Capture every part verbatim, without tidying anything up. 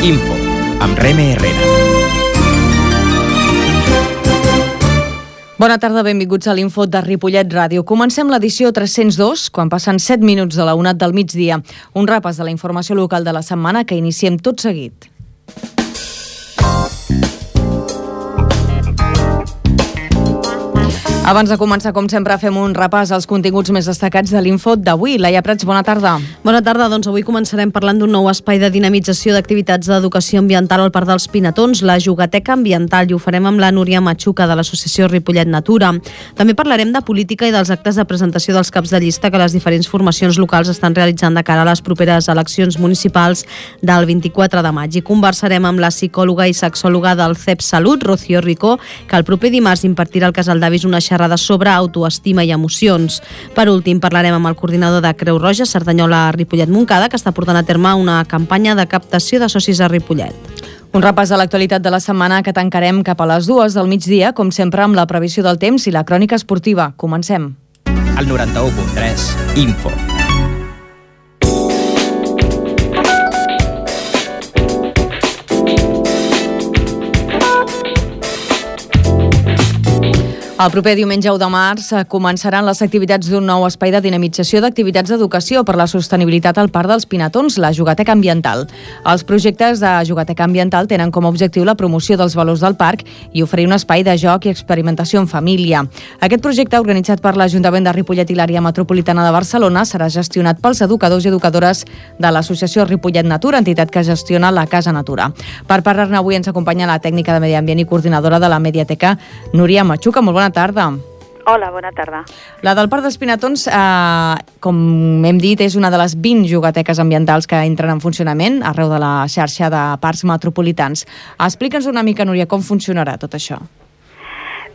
Info, amb Reme Herrera. Bona tarda, benvinguts a l'Info de Ripollet Ràdio. Comencem l'edició tres-cents dos, quan passen set minuts de la una del migdia. Un repàs de la informació local de la setmana que iniciem tot seguit. Abans de començar, com sempre, fem un repàs als continguts més destacats de l'Info d'avui. Laia Prats, bona tarda. Bona tarda, doncs avui començarem parlant d'un nou espai de dinamització d'activitats d'educació ambiental al Parc dels Pinatons, la Jugateca Ambiental, i ho farem amb la Núria Machuca de l'Associació Ripollet Natura. També parlarem de política i dels actes de presentació dels caps de llista que les diferents formacions locals estan realitzant de cara a les properes eleccions municipals del vint-i-quatre de maig. I conversarem amb la psicòloga i sexòloga del C E P Salut, Rocío Ricó, que el proper dimarts impartirà al Casal d'Avis una xerrada sobre autoestima i emocions. Per últim, parlarem amb el coordinador de Creu Roja, Cerdanyola Ripollet Montcada, que està portant a terme una campanya de captació de socis a Ripollet. Un repàs de l'actualitat de la setmana que tancarem cap a les dues del migdia, com sempre amb la previsió del temps i la crònica esportiva. Comencem. Al noranta-u punt tres, Info. El proper diumenge u de març començaran les activitats d'un nou espai de dinamització d'activitats d'educació per la sostenibilitat al Parc dels Pinatons, la Jugateca Ambiental. Els projectes de Jugateca Ambiental tenen com a objectiu la promoció dels valors del parc i oferir un espai de joc i experimentació en família. Aquest projecte, organitzat per l'Ajuntament de Ripollet i l'Àrea Metropolitana de Barcelona, serà gestionat pels educadors i educadores de l'Associació Ripollet Natura, entitat que gestiona la Casa Natura. Per parlar-ne avui ens acompanya la tècnica de Medi Ambient i coordinadora de la Mediateca, Núria Machuca. Molt bona tarda. Hola, bona tarda. La del Parc dels Pinatons, eh, com hem dit, és una de les vint jugateques ambientals que entren en funcionament arreu de la xarxa de parcs metropolitans. Explica'ns una mica, Núria, com funcionarà tot això.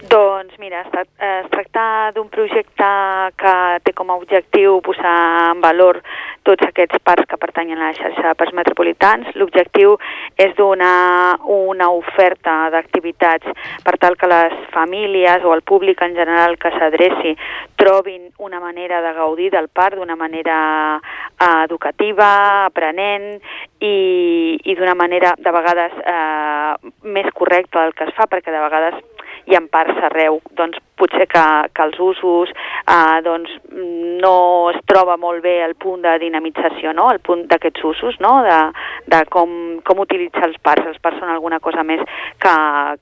Doncs mira, es, es tracta d'un projecte que té com a objectiu posar en valor tots aquests parcs que pertanyen a la xarxa de parcs metropolitans. L'objectiu és donar una oferta d'activitats per tal que les famílies o el públic en general que s'adreci trobin una manera de gaudir del parc d'una manera eh, educativa, aprenent i, i d'una manera de vegades eh, més correcta del que es fa, perquè de vegades hi ha parcs arreu, doncs potser que, que els usos eh, doncs, no es troba molt bé el punt de dinamització, no? El punt d'aquests usos, no? de, de com, com utilitzar els parcs. Els parcs són alguna cosa més que,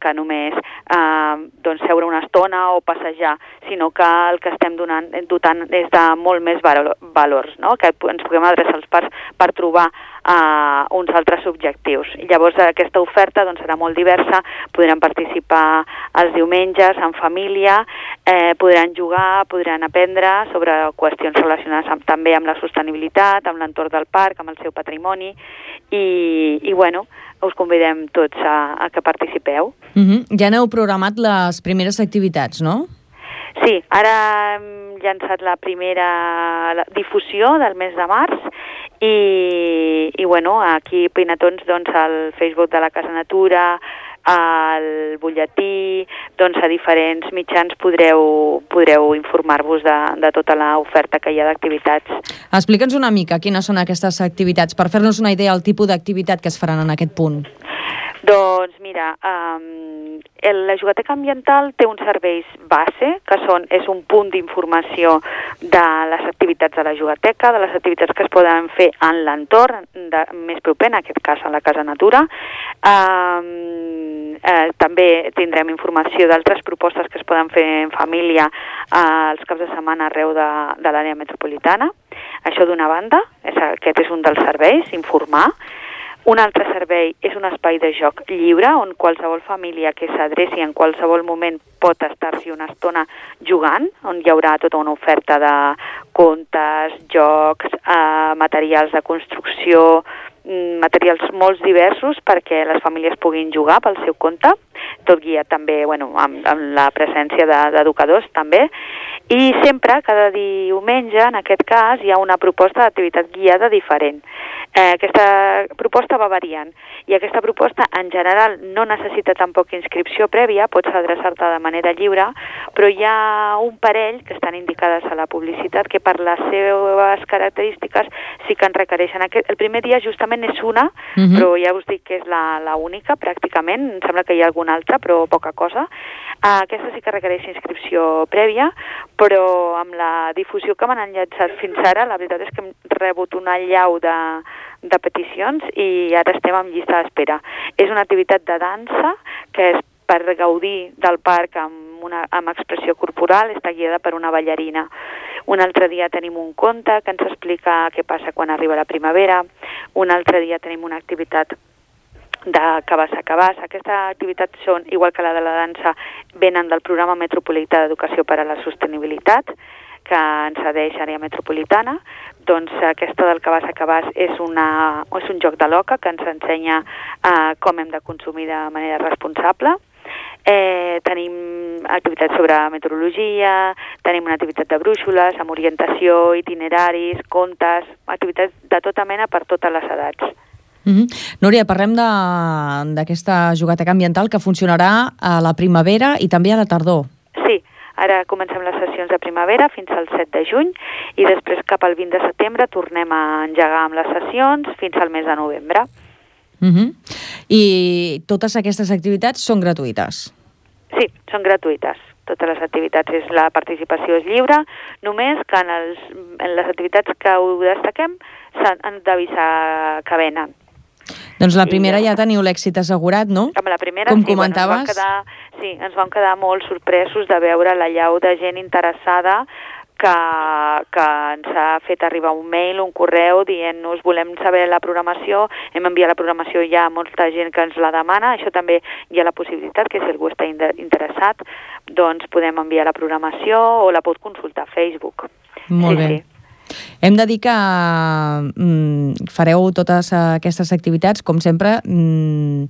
que només eh, doncs, seure una estona o passejar, sinó que el que estem donant, dotant és de molt més valors, no? Que ens puguem adreçar als parcs per trobar Uh, uns altres objectius. I llavors aquesta oferta doncs, serà molt diversa, podran participar els diumenges en família, eh, podran jugar, podran aprendre sobre qüestions relacionades amb, també amb la sostenibilitat, amb l'entorn del parc, amb el seu patrimoni i, i bueno, us convidem tots a, a que participeu. Uh-huh. Ja n'heu programat les primeres activitats, no? Sí, ara hem llançat la primera la difusió del mes de març i, i bueno, aquí Pinatons, doncs, al Facebook de la Casa Natura, al butlletí, doncs a diferents mitjans podreu, podreu informar-vos de, de tota l'oferta que hi ha d'activitats. Explica'ns una mica quines són aquestes activitats, per fer-nos una idea del tipus d'activitat que es faran en aquest punt. Doncs mira, um, el, la Jugateca Ambiental té uns serveis base, que són, és un punt d'informació de les activitats de la Jugateca, de les activitats que es poden fer en l'entorn més proper, en aquest cas a la Casa Natura. Um, eh, també tindrem informació d'altres propostes que es poden fer en família eh, els caps de setmana arreu de, de l'àrea metropolitana. Això d'una banda, és, aquest és un dels serveis, informar. Un altre servei és un espai de joc lliure on qualsevol família que s'adreci en qualsevol moment pot estar-s'hi una estona jugant, on hi haurà tota una oferta de contes, jocs, eh, materials de construcció, materials molt diversos perquè les famílies puguin jugar pel seu compte, tot guiat també bueno, amb, amb la presència d'educadors també, i sempre, cada diumenge, en aquest cas, hi ha una proposta d'activitat guiada diferent. Eh, aquesta proposta va variant i aquesta proposta en general no necessita tampoc inscripció prèvia, pots adreçar-te de manera lliure, però hi ha un parell que estan indicades a la publicitat que per les seves característiques sí que en requereixen. Aquest, el primer dia justament moment és una, uh-huh. però ja us dic que és la, la única pràcticament, em sembla que hi ha alguna altra, però poca cosa. Uh, aquesta sí que requereix inscripció prèvia, però amb la difusió que m'han enllaçat fins ara, la veritat és que hem rebut una allau de, de peticions i ara estem en llista d'espera. És una activitat de dansa que és per gaudir del parc amb, una, amb expressió corporal, està guiada per una ballarina. Un altre dia tenim un conte que ens explica què passa quan arriba la primavera. Un altre dia tenim una activitat de cabàs a cabàs. Aquesta activitat són, igual que la de la dansa, venen del programa metropolità d'educació per a la sostenibilitat, que ens cedeix àrea metropolitana. Doncs aquesta del cabàs a cabàs és, una, és un joc de l'oca que ens ensenya uh, com hem de consumir de manera responsable. Eh, tenim activitats sobre meteorologia, tenim una activitat de brúixoles, amb orientació, itineraris, contes, activitats de tota mena per totes les edats. Mm-hmm. Núria, parlem d'aquesta jugateca ambiental que funcionarà a la primavera i també a la tardor. Sí, ara comencem les sessions de primavera fins al set de juny i després cap al vint de setembre tornem a engegar amb les sessions fins al mes de novembre. Mm-hmm. I totes aquestes activitats són gratuïtes? Sí, són gratuïtes. Totes les activitats, és, la participació és lliure, només que en, els, en les activitats que ho destaquem s'han d'avisar que venen. Doncs la primera I, ja teniu l'èxit assegurat, no? Amb la primera, com sí, comentaves. Bueno, ens vam quedar, sí, ens vam quedar molt sorpresos de veure la llau de gent interessada que, que ens ha fet arribar un mail, un correu dient-nos volem saber la programació, hem enviat la programació, hi ha molta gent que ens la demana, això també hi ha la possibilitat que si algú està interessat, doncs podem enviar la programació o la pot consultar a Facebook. Molt sí, bé. Sí. Hem de dir que mm, fareu totes aquestes activitats, com sempre, mm,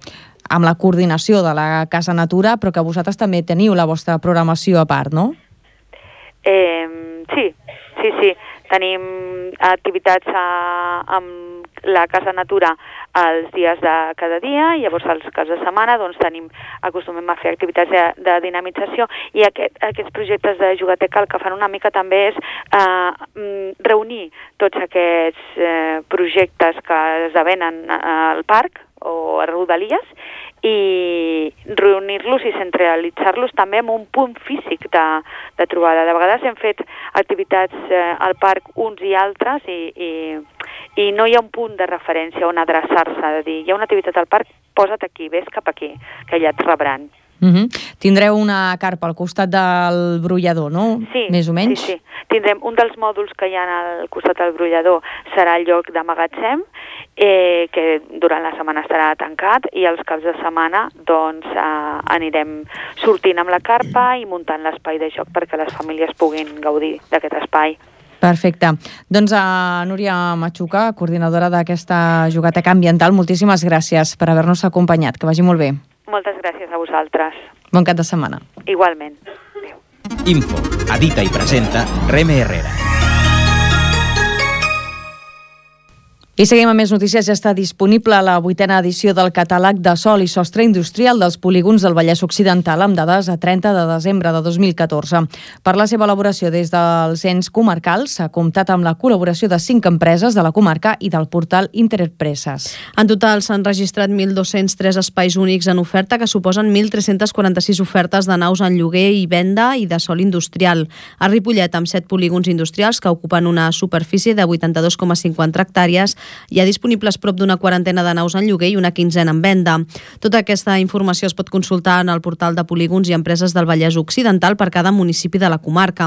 amb la coordinació de la Casa Natura, però que vosaltres també teniu la vostra programació a part, no? Eh, sí, sí, sí. Tenim activitats a, amb la Casa Natura els dies de cada dia i llavors els caps de setmana doncs tenim, acostumem a fer activitats de, de dinamització i aquest, aquests projectes de jugateca el que fan una mica també és eh, reunir tots aquests eh, projectes que esdevenen al parc o a Rodalies i reunir-los i centralitzar-los també en un punt físic de, de trobada. De vegades hem fet activitats eh, al parc uns i altres i, i, i no hi ha un punt de referència on adreçar-se, de dir, hi ha una activitat al parc, posa't aquí, vés cap aquí, que allà et rebran. Mm-hmm. Tindreu una carpa al costat del brollador, no? Sí, més o menys? sí, sí. Tindrem un dels mòduls que hi ha al costat del brollador serà el lloc de magatzem, eh, que durant la setmana estarà tancat i els caps de setmana doncs eh, anirem sortint amb la carpa i muntant l'espai de joc perquè les famílies puguin gaudir d'aquest espai. Perfecte. Doncs a Núria Machuca, coordinadora d'aquesta jugateca ambiental, moltíssimes gràcies per haver-nos acompanyat. Que vagi molt bé. Moltes gràcies a vosaltres. Bon cap de setmana. Igualment. Adéu. Info, edita i presenta Reme Herrera. I seguim amb més notícies. Ja està disponible la vuitena edició del catàleg de sòl i sostre industrial dels polígons del Vallès Occidental amb dades a trenta de desembre de dos mil catorze. Per la seva elaboració des dels ens comarcals s'ha comptat amb la col·laboració de cinc empreses de la comarca i del portal Interempreses. En total s'han registrat mil dos-cents tres espais únics en oferta que suposen mil tres-cents quaranta-sis ofertes de naus en lloguer i venda i de sòl industrial. A Ripollet, amb set polígons industrials que ocupen una superfície de vuitanta-dos coma cinquanta hectàrees, hi ha disponibles prop d'una quarantena de naus en lloguer i una quinzena en venda. Tota aquesta informació es pot consultar en el portal de polígons i empreses del Vallès Occidental per cada municipi de la comarca.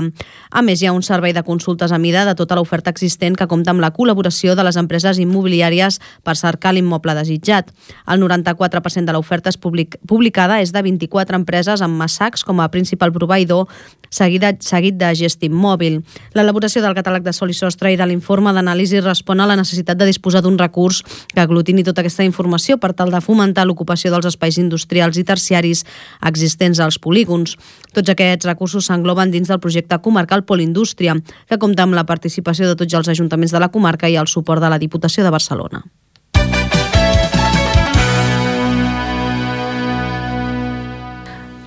A més, hi ha un servei de consultes a mida de tota l'oferta existent que compta amb la col·laboració de les empreses immobiliàries per cercar l'immoble desitjat. El noranta-quatre per cent de l'oferta és public publicada és de vint-i-quatre empreses amb Massacs com a principal proveïdor, seguida, seguit de Gestim Mòbil. L'elaboració del catàleg de sòl i sostre i de l'informe d'anàlisi respon a la necessitat de disposar d'un recurs que aglutini tota aquesta informació per tal de fomentar l'ocupació dels espais industrials i terciaris existents als polígons. Tots aquests recursos s'engloben dins del projecte comarcal Polindústria, que compta amb la participació de tots els ajuntaments de la comarca i el suport de la Diputació de Barcelona.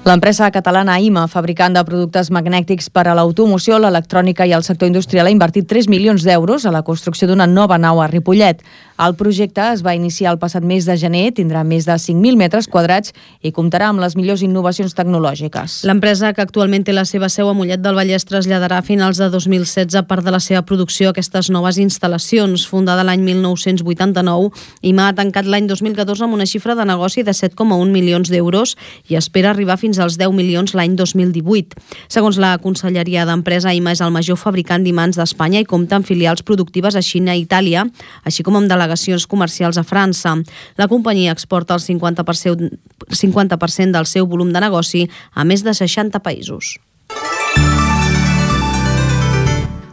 L'empresa catalana I M A, fabricant de productes magnètics per a l'automoció, l'electrònica i el sector industrial, ha invertit tres milions d'euros a la construcció d'una nova nau a Ripollet. El projecte es va iniciar el passat mes de gener, tindrà més de cinc mil metres quadrats i comptarà amb les millors innovacions tecnològiques. L'empresa, que actualment té la seva seu a Mollet del Vallès, traslladarà a finals de dos mil setze part de la seva producció a aquestes noves instal·lacions. Fundada l'any mil nou-cents vuitanta-nou, I M A ha tancat l'any dos mil catorze amb una xifra de negoci de set coma un milions d'euros i espera arribar fins als deu milions l'any dos mil divuit. Segons la Conselleria d'Empresa, I M A és el major fabricant d'imants d'Espanya i compta amb filials productives a Xina i Itàlia, així com amb delegacions comercials a França. La companyia exporta el cinquanta per cent, cinquanta per cent del seu volum de negoci a més de seixanta països.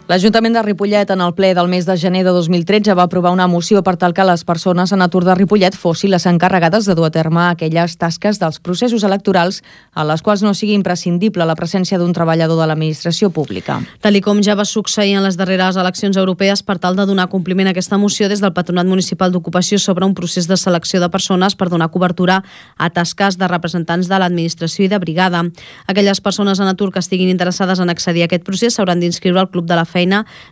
L'Ajuntament de Ripollet, en el ple del mes de gener de dos mil tretze, va aprovar una moció per tal que les persones en atur de Ripollet fossin les encarregades de dur a terme aquelles tasques dels processos electorals a les quals no sigui imprescindible la presència d'un treballador de l'administració pública. Tal i com ja va succeir en les darreres eleccions europees, per tal de donar compliment a aquesta moció, des del Patronat Municipal d'Ocupació s'obre un procés de selecció de persones per donar cobertura a tasques de representants de l'administració i de brigada. Aquelles persones en atur que estiguin interessades en accedir a aquest procés s'hauran d'inscriure al Club de la Feina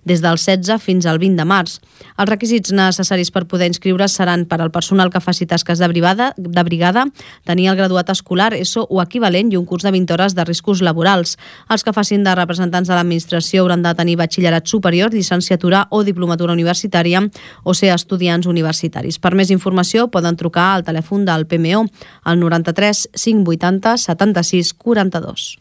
des del setze fins al vint de març. Els requisits necessaris per poder inscriure's seran per al personal que faci tasques de brigada, de brigada, tenir el graduat escolar, ESO o equivalent i un curs de vint hores de riscos laborals. Els que facin de representants de l'administració hauran de tenir batxillerat superior, llicenciatura o diplomatura universitària o ser estudiants universitaris. Per més informació poden trucar al telèfon del P M O al noranta-tres cinc vuitanta setanta-sis quaranta-dos.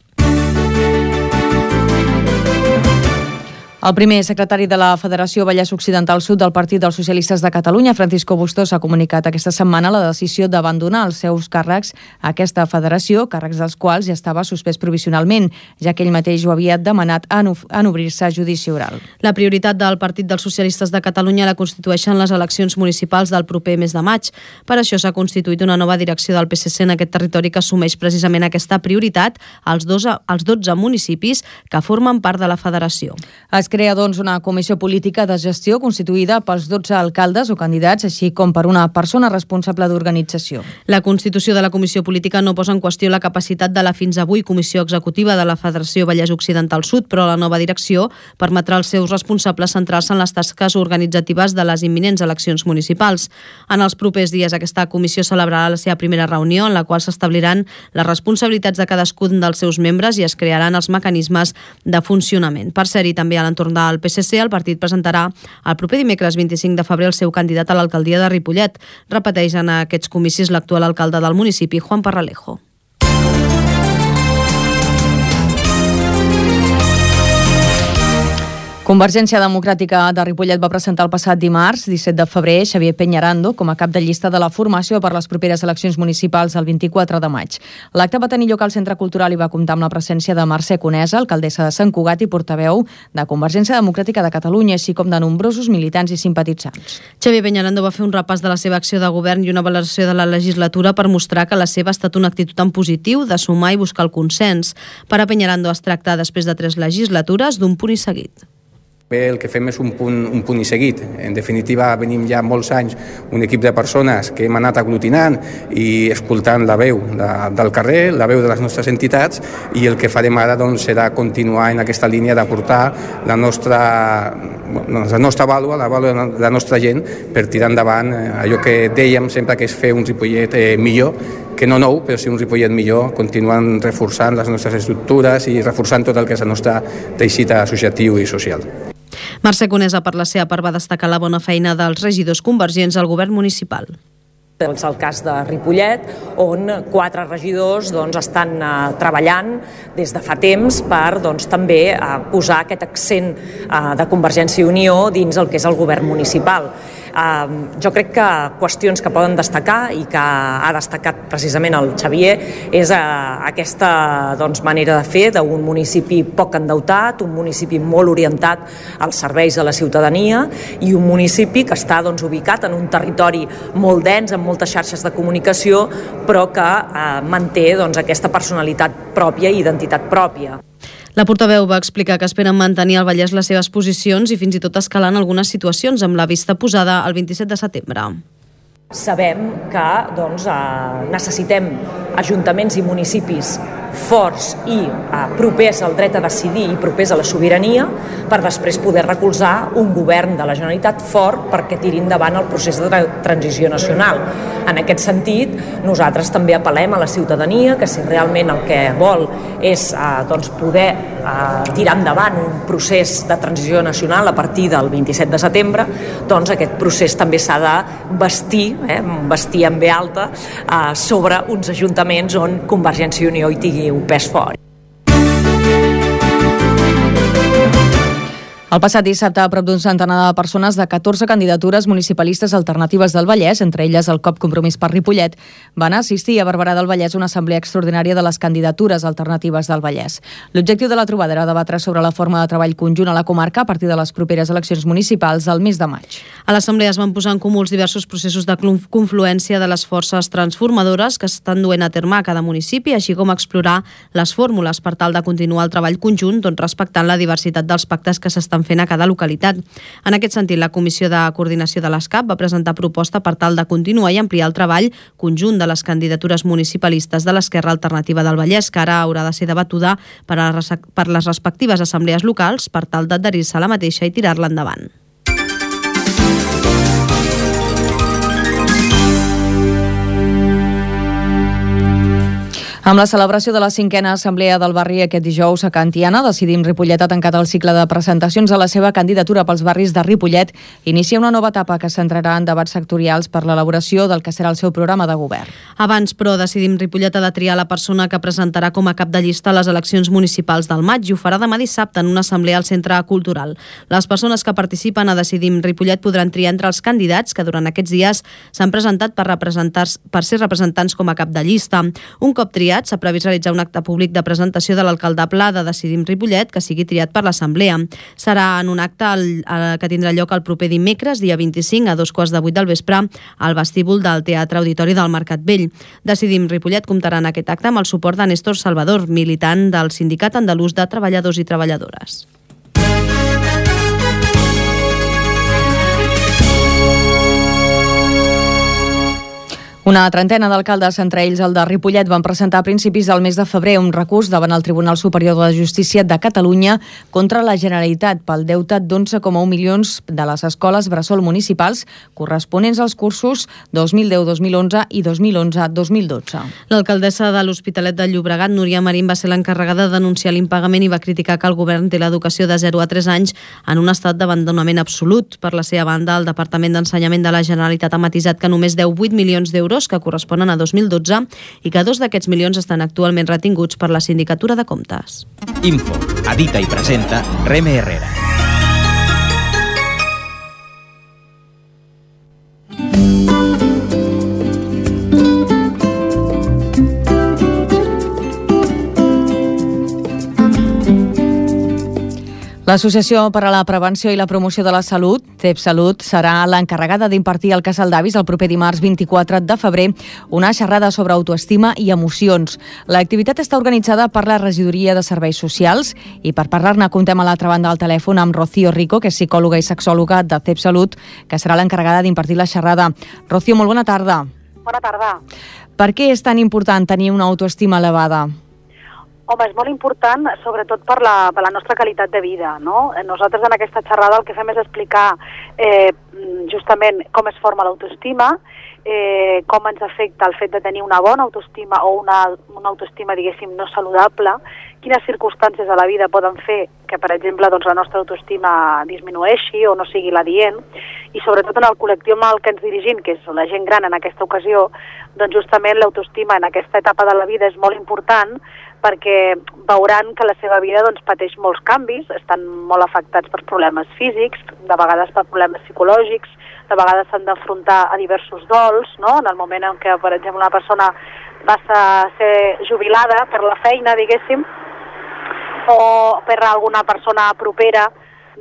El primer secretari de la Federació Vallès Occidental Sud del Partit dels Socialistes de Catalunya, Francisco Bustos, ha comunicat aquesta setmana la decisió d'abandonar els seus càrrecs a aquesta federació, càrrecs dels quals ja estava suspès provisionalment, ja que ell mateix ho havia demanat en, en obrir-se a judici oral. La prioritat del Partit dels Socialistes de Catalunya la constitueixen les eleccions municipals del proper mes de maig. Per això s'ha constituït una nova direcció del P S C en aquest territori que assumeix precisament aquesta prioritat als, dos, als dotze municipis que formen part de la federació. Es crea, doncs, una comissió política de gestió constituïda pels dotze alcaldes o candidats, així com per una persona responsable d'organització. La constitució de la comissió política no posa en qüestió la capacitat de la fins avui comissió executiva de la Federació Vallès Occidental Sud, però la nova direcció permetrà als seus responsables centrar-se en les tasques organitzatives de les imminents eleccions municipals. En els propers dies aquesta comissió celebrarà la seva primera reunió, en la qual s'establiran les responsabilitats de cadascun dels seus membres i es crearan els mecanismes de funcionament. Per ser-hi també a l'entorn del P S C, el partit presentarà el proper dimecres vint-i-cinc de febrer el seu candidat a l'alcaldia de Ripollet. Repeteix en aquests comicis l'actual alcalde del municipi, Juan Parralejo. Convergència Democràtica de Ripollet va presentar el passat dimarts, disset de febrer, Xavier Peñarando com a cap de llista de la formació per les properes eleccions municipals el vint-i-quatre de maig. L'acte va tenir lloc al Centre Cultural i va comptar amb la presència de Mercè Conesa, alcaldessa de Sant Cugat i portaveu de Convergència Democràtica de Catalunya, així com de nombrosos militants i simpatitzants. Xavier Peñarando va fer un repàs de la seva acció de govern i una valoració de la legislatura per mostrar que la seva ha estat una actitud en positiu de sumar i buscar el consens. Per a Peñarando es tracta, després de tres legislatures, d'un punt i seguit. Bé, el que fem és un punt, un punt i seguit. En definitiva, venim ja molts anys un equip de persones que hem anat aglutinant i escoltant la veu de, del carrer, la veu de les nostres entitats, i el que farem ara doncs, serà continuar en aquesta línia d'aportar la nostra, la nostra vàlua, la vàlua de la nostra gent per tirar endavant allò que dèiem sempre que és fer un Ripollet eh, millor, que no nou, però sí un Ripollet millor, continuant reforçant les nostres estructures i reforçant tot el que és el nostre teixit associatiu i social. Mercè Conesa, per la seva part, va destacar la bona feina dels regidors convergents al govern municipal. És el cas de Ripollet, on quatre regidors doncs, estan uh, treballant des de fa temps per doncs, també uh, posar aquest accent uh, de Convergència i Unió dins el que és el govern municipal. Uh, jo crec que qüestions que poden destacar i que ha destacat precisament el Xavier és uh, aquesta doncs, manera de fer d'un municipi poc endeutat, un municipi molt orientat als serveis de la ciutadania i un municipi que està doncs, ubicat en un territori molt dens, amb moltes xarxes de comunicació, però que uh, manté doncs, aquesta personalitat pròpia i identitat pròpia. La portaveu va explicar que esperen mantenir al Vallès les seves posicions i fins i tot escalar en algunes situacions amb la vista posada el vint-i-set de setembre. Sabem que doncs, eh, necessitem ajuntaments i municipis forts i eh, propers al dret a decidir i propers a la sobirania, per després poder recolzar un govern de la Generalitat fort perquè tiri endavant el procés de tra- transició nacional. En aquest sentit, nosaltres també apel·lem a la ciutadania que si realment el que vol és eh, doncs poder eh, tirar endavant un procés de transició nacional a partir del vint-i-set de setembre, doncs aquest procés també s'ha de bastir, eh, bastir en ve alta, eh, sobre uns ajuntaments on Convergència i Unió hi tingui un pes fort. El passat dissabte, a prop d'un centenar de persones de catorze candidatures municipalistes alternatives del Vallès, entre elles el C O P Compromís per Ripollet, van assistir a Barberà del Vallès una assemblea extraordinària de les candidatures alternatives del Vallès. L'objectiu de la trobada era debatre sobre la forma de treball conjunt a la comarca a partir de les properes eleccions municipals del mes de maig. A l'assemblea es van posar en comú els diversos processos de confluència de les forces transformadores que estan duent a terme a cada municipi, així com explorar les fórmules per tal de continuar el treball conjunt, doncs respectant la diversitat dels pactes que s'estan fent a cada localitat. En aquest sentit, la Comissió de Coordinació de l'E S C A P va presentar proposta per tal de continuar i ampliar el treball conjunt de les candidatures municipalistes de l'Esquerra Alternativa del Vallès, que ara haurà de ser debatuda per, a les, per les respectives assemblees locals per tal d'adherir-se a la mateixa i tirar-la endavant. Amb la celebració de la cinquena assemblea del barri aquest dijous a Can Tiana, Decidim Ripollet ha tancat el cicle de presentacions a la seva candidatura pels barris de Ripollet. Inicia una nova etapa que centrarà en debats sectorials per l'elaboració del que serà el seu programa de govern. Abans, però, Decidim Ripollet ha de triar la persona que presentarà com a cap de llista a les eleccions municipals del maig i ho farà demà dissabte en una assemblea al Centre Cultural. Les persones que participen a Decidim Ripollet podran triar entre els candidats que durant aquests dies s'han presentat per, per ser representants com a cap de llista. Un cop triat, s'ha previst realitzar un acte públic de presentació de l'alcaldable de Decidim Ripollet que sigui triat per l'Assemblea. Serà en un acte el, el, que tindrà lloc el proper dimecres, dia vint-i-cinc, a dos quarts de vuit del vespre, al vestíbul del Teatre Auditori del Mercat Vell. Decidim Ripollet comptarà en aquest acte amb el suport de Néstor Salvador, militant del Sindicat Andalús de Treballadors i Treballadores. Una trentena d'alcaldes, entre ells el de Ripollet, van presentar a principis del mes de febrer un recurs davant el Tribunal Superior de Justícia de Catalunya contra la Generalitat pel deute d'onze coma u milions de les escoles bressol municipals corresponents als cursos dos mil deu dos mil onze i dos mil onze dos mil dotze. L'alcaldessa de l'Hospitalet de Llobregat, Núria Marín, va ser l'encarregada de denunciar l'impagament i va criticar que el govern té l'educació de zero a tres anys en un estat d'abandonament absolut. Per la seva banda, el Departament d'Ensenyament de la Generalitat ha matisat que només deu vuit milions d'euros que corresponen a dos mil dotze i que dos d'aquests milions estan actualment retinguts per la Sindicatura de Comptes. Info, edita i presenta Reme Herrera. L'Associació per a la Prevenció i la Promoció de la Salut, TEPSalut, serà l'encarregada d'impartir al Casal d'Avis el proper dimarts vint-i-quatre de febrer una xerrada sobre autoestima i emocions. L'activitat està organitzada per la Regidoria de Serveis Socials i per parlar-ne comptem a l'altra banda del telèfon amb Rocío Rico, que és psicòloga i sexòloga de TEPSalut, que serà l'encarregada d'impartir la xerrada. Rocío, molt bona tarda. Bona tarda. Per què és tan important tenir una autoestima elevada? Home, és molt important, sobretot per la, per la nostra qualitat de vida, no? Nosaltres en aquesta xerrada el que fem és explicar eh, justament com es forma l'autoestima, eh, com ens afecta el fet de tenir una bona autoestima o una, una autoestima, diguéssim, no saludable, quines circumstàncies de la vida poden fer que, per exemple, doncs, la nostra autoestima disminueixi o no sigui l'adient, i sobretot en el col·lectiu amb el que ens dirigim, que és la gent gran en aquesta ocasió, doncs justament l'autoestima en aquesta etapa de la vida és molt important perquè veuran que la seva vida doncs, pateix molts canvis, estan molt afectats per problemes físics, de vegades per problemes psicològics, de vegades s'han d'afrontar a diversos dols, no? En el moment en què, per exemple, una persona va ser jubilada per la feina, diguéssim, o per alguna persona propera,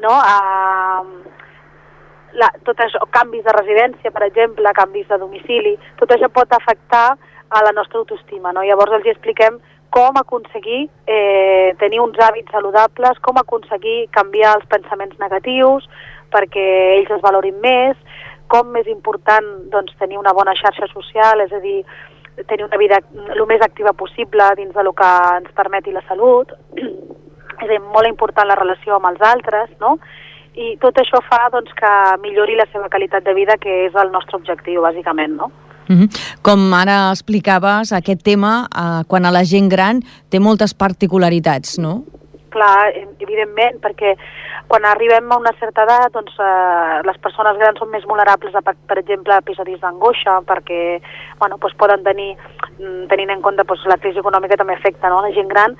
no? A, la, tot això, canvis de residència, per exemple, canvis de domicili, tot això pot afectar a la nostra autoestima, no? Llavors els expliquem com aconseguir eh, tenir uns hàbits saludables, com aconseguir canviar els pensaments negatius perquè ells es valorin més, com és important doncs, tenir una bona xarxa social, és a dir, tenir una vida el més activa possible dins del que ens permeti la salut. És a dir, molt important la relació amb els altres, no? I tot això fa doncs, que millori la seva qualitat de vida, que és el nostre objectiu, bàsicament, no? Mm-hmm. Com ara explicaves, aquest tema, eh, quan a la gent gran, té moltes particularitats, no? Clar, evidentment, perquè quan arribem a una certa edat, doncs, eh, les persones grans són més vulnerables a, per exemple, a episodis d'angoixa, perquè bueno, doncs poden tenir, tenint en compte doncs, la crisi econòmica també afecta, no? La gent gran,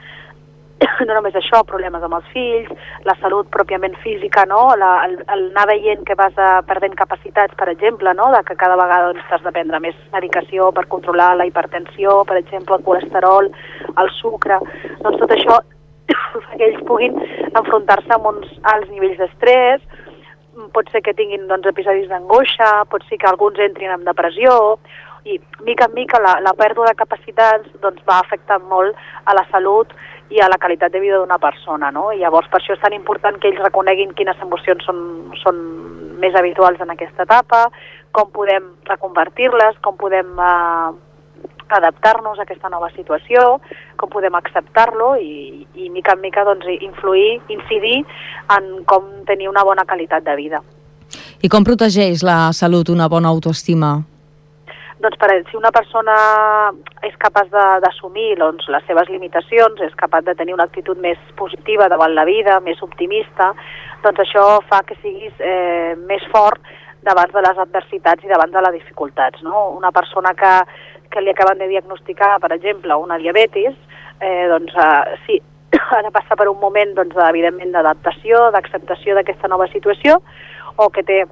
no només això, problemes amb els fills, la salut pròpiament física, no? La, el, el anar veient que vas a, perdent capacitats, per exemple, no? De que cada vegada doncs, has de prendre més medicació per controlar la hipertensió, per exemple, el colesterol, el sucre, doncs tot això que ells puguin enfrontar-se amb uns alts nivells d'estrès, pot ser que tinguin doncs, episodis d'angoixa, pot ser que alguns entrin en depressió, i mica en mica la, la pèrdua de capacitats doncs, va afectant molt a la salut i a la qualitat de vida d'una persona, no? I llavors per això és tan important que ells reconeguin quines emocions són, són més habituals en aquesta etapa, com podem reconvertir-les, com podem eh, adaptar-nos a aquesta nova situació, com podem acceptar-lo i, i mica en mica doncs, influir, incidir en com tenir una bona qualitat de vida. I com protegeix la salut una bona autoestima? Doncs per, si una persona és capaç d'assumir doncs, les seves limitacions, és capaç de tenir una actitud més positiva davant la vida, més optimista, doncs això fa que siguis eh, més fort davant de les adversitats i davant de les dificultats, no? Una persona que, que li acaben de diagnosticar, per exemple, una diabetis, eh, doncs eh, sí, ha de passar per un moment, doncs, evidentment, d'adaptació, d'acceptació d'aquesta nova situació, o que té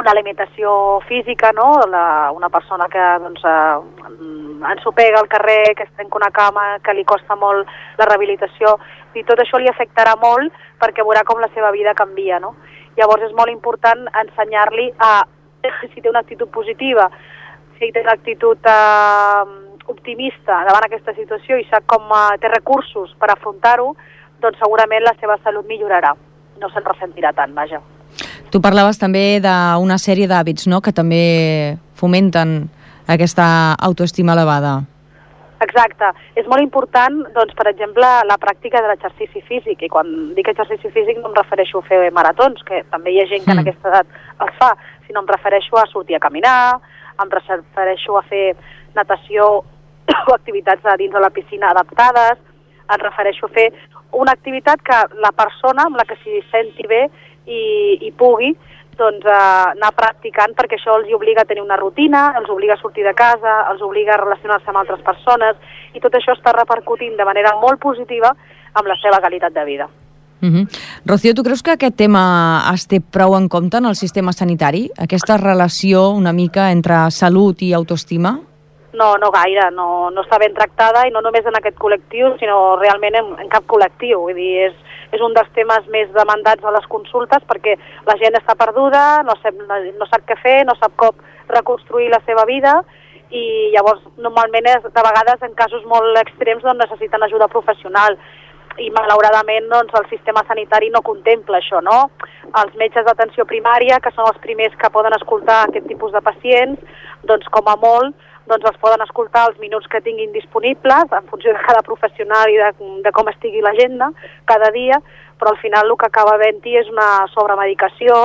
una limitació física, no? La, una persona que doncs, eh, ensopega al carrer, que es trenca una cama, que li costa molt la rehabilitació, i tot això li afectarà molt perquè veurà com la seva vida canvia, no? Llavors és molt important ensenyar-li a, si té una actitud positiva, si té una actitud eh, optimista davant aquesta situació i sap com eh, té recursos per afrontar-ho, doncs segurament la seva salut millorarà, no se'n ressentirà tant, vaja. Tu parlaves també d'una sèrie d'hàbits, no?, que també fomenten aquesta autoestima elevada. Exacte. És molt important, doncs, per exemple, la pràctica de l'exercici físic. I quan dic exercici físic no em refereixo a fer maratons, que també hi ha gent que en aquesta edat els fa, sinó em refereixo a sortir a caminar, em refereixo a fer natació o activitats dins de la piscina adaptades, em refereixo a fer una activitat que la persona amb la que s'hi senti bé i, i pugui doncs, eh, anar practicant, perquè això els obliga a tenir una rutina, els obliga a sortir de casa, els obliga a relacionar-se amb altres persones, i tot això està repercutint de manera molt positiva amb la seva qualitat de vida. Uh-huh. Rocío, tu creus que aquest tema es té prou en compte en el sistema sanitari? Aquesta relació una mica entre salut i autoestima? No, no gaire, no, no està ben tractada, i no només en aquest col·lectiu, sinó realment en, en cap col·lectiu. Vull dir, és, és un dels temes més demandats a les consultes, perquè la gent està perduda, no sap, no, no sap què fer, no sap com reconstruir la seva vida, i llavors normalment és, de vegades en casos molt extrems doncs, necessiten ajuda professional, i malauradament doncs, el sistema sanitari no contempla això, no? Els metges d'atenció primària, que són els primers que poden escoltar aquest tipus de pacients, doncs com a molt doncs els poden escoltar els minuts que tinguin disponibles en funció de cada professional i de, de com estigui l'agenda cada dia, però al final el que acaba havent-hi és una sobremedicació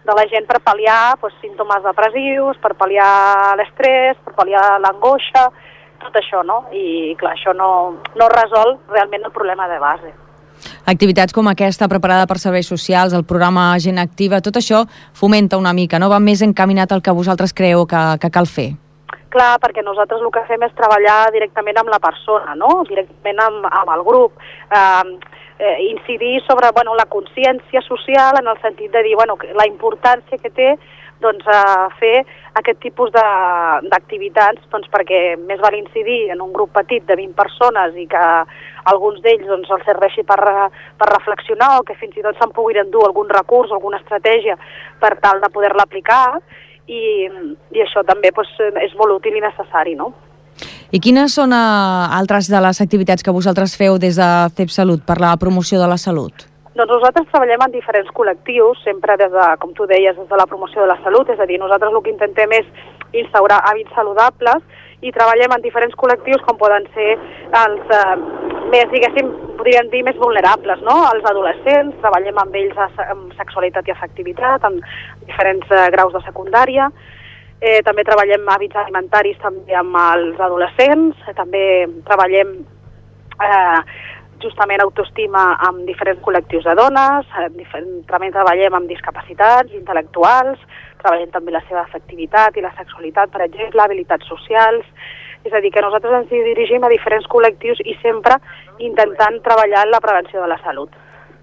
de la gent per pal·liar doncs, símptomes depressius, per pal·liar l'estrès, per pal·liar l'angoixa, tot això, no? I clar, això no, no resol realment el problema de base. Activitats com aquesta, preparada per serveis socials, el programa Gent Activa, tot això fomenta una mica, no? Va més encaminat al que vosaltres creeu que, que cal fer. Clar, perquè nosaltres el que fem és treballar directament amb la persona, no? Directament amb, amb el grup, eh, eh, incidir sobre bueno, la consciència social en el sentit de dir bueno, la importància que té doncs, eh, fer aquest tipus d'activitats doncs, perquè més val incidir en un grup petit de vint persones i que alguns d'ells doncs, els serveixi per, per reflexionar o que fins i tot se'n puguin endur algun recurs, alguna estratègia per tal de poder-la aplicar. I, i això també doncs, és molt útil i necessari, no? I quines són uh, altres de les activitats que vosaltres feu des de C E P Salut per la promoció de la salut? Doncs nosaltres treballem en diferents col·lectius, sempre des de, com tu deies, des de la promoció de la salut, és a dir, nosaltres el que intentem és instaurar hàbits saludables i treballem en diferents col·lectius com poden ser els eh, més, diguéssim, podríem dir més vulnerables, no? Els adolescents, treballem amb ells amb sexualitat i afectivitat, amb diferents eh, graus de secundària. Eh, també treballem hàbits alimentaris també amb els adolescents, eh, també treballem eh, justament autoestima amb diferents col·lectius de dones, eh, diferent, també treballem amb discapacitats intel·lectuals, treballem també la seva afectivitat i la sexualitat, per exemple, habilitats socials. És a dir, que nosaltres ens dirigim a diferents col·lectius i sempre intentant treballar en la prevenció de la salut.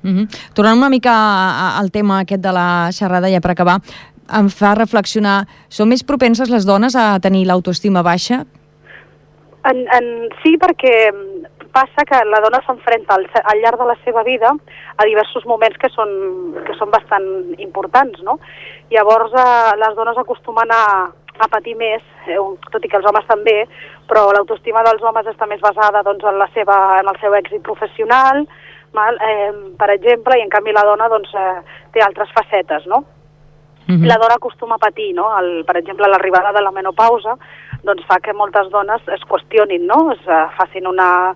Mm-hmm. Tornant una mica al tema aquest de la xerrada, ja per acabar, em fa reflexionar, són més propenses les dones a tenir l'autoestima baixa? En, en, sí, perquè passa que la dona s'enfrenta al, al llarg de la seva vida a diversos moments que són, que són bastant importants, no? Llavors, eh, les dones acostumen a, a patir més, eh, tot i que els homes també, però l'autoestima dels homes està més basada doncs, en, la seva, en el seu èxit professional, mal, eh, per exemple, i en canvi la dona doncs, eh, té altres facetes, no? Mm-hmm. La dona acostuma a patir, no? El, per exemple, l'arribada de la menopausa doncs fa que moltes dones es qüestionin, no? Es uh, facin una...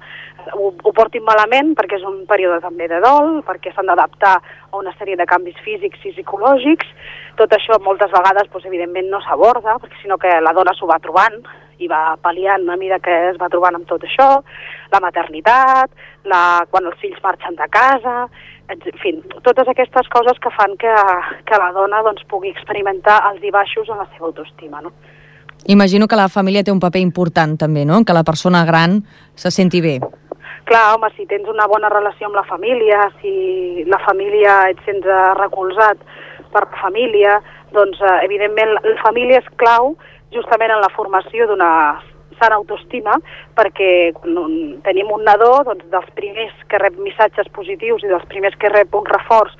Ho, ho portin malament perquè és un període també de dol, perquè s'han d'adaptar a una sèrie de canvis físics i psicològics. Tot això moltes vegades, doncs, evidentment, no s'aborda, perquè sinó que la dona s'ho va trobant i va pal·liant a mesura que es va trobant amb tot això, la maternitat, la... quan els fills marxen de casa, en fi, totes aquestes coses que fan que, que la dona doncs, pugui experimentar alts i baixos en la seva autoestima, no? Imagino que la família té un paper important també, no? Que la persona gran se senti bé. Clar, home, si tens una bona relació amb la família, si la família et sents recolzat per la família, doncs eh, evidentment la família és clau justament en la formació d'una sana autoestima, perquè quan tenim un nadó, doncs dels primers que rep missatges positius i dels primers que rep un reforç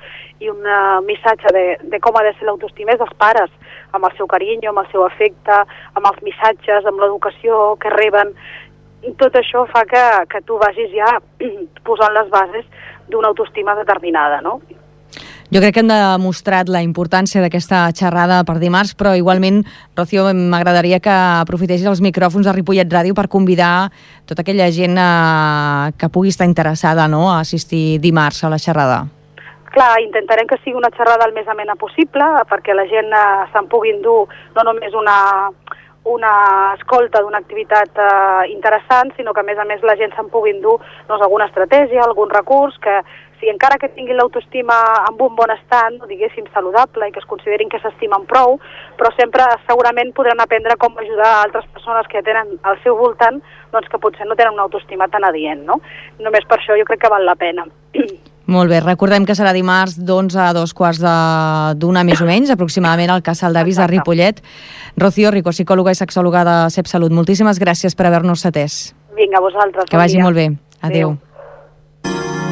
i un uh, missatge de, de com ha de ser l'autoestima és dels pares, amb el seu carinyo, amb el seu afecte, amb els missatges, amb l'educació que reben. Tot això fa que, que tu vagis ja posant les bases d'una autoestima determinada, no? Jo crec que hem demostrat la importància d'aquesta xerrada per dimarts, però igualment, Rocío, m'agradaria que aprofitessis els micròfons de Ripollet Ràdio per convidar tota aquella gent eh, que pugui estar interessada, no?, a assistir dimarts a la xerrada. Clar, intentarem que sigui una xerrada el més amena possible, perquè la gent eh, se'n pugui endur no només una... una escolta d'una activitat eh, interessant, sinó que a més a més la gent se'n pugui endur doncs, alguna estratègia, algun recurs, que si encara que tinguin l'autoestima amb un bon estat, no, diguéssim, saludable, i que es considerin que s'estimen prou, però sempre segurament podran aprendre com ajudar a altres persones que tenen al seu voltant, doncs que potser no tenen una autoestima tan adient, no? Només per això jo crec que val la pena. Molt bé, recordem que serà dimarts d'onze a dos quarts d'una més o menys, aproximadament al Casal d'Avis de Ripollet. Rocío Rico, psicòloga i sexòloga de SEPSalut, moltíssimes gràcies per haver-nos atès. Vinga, vosaltres. Que vagi molt bé. Adéu.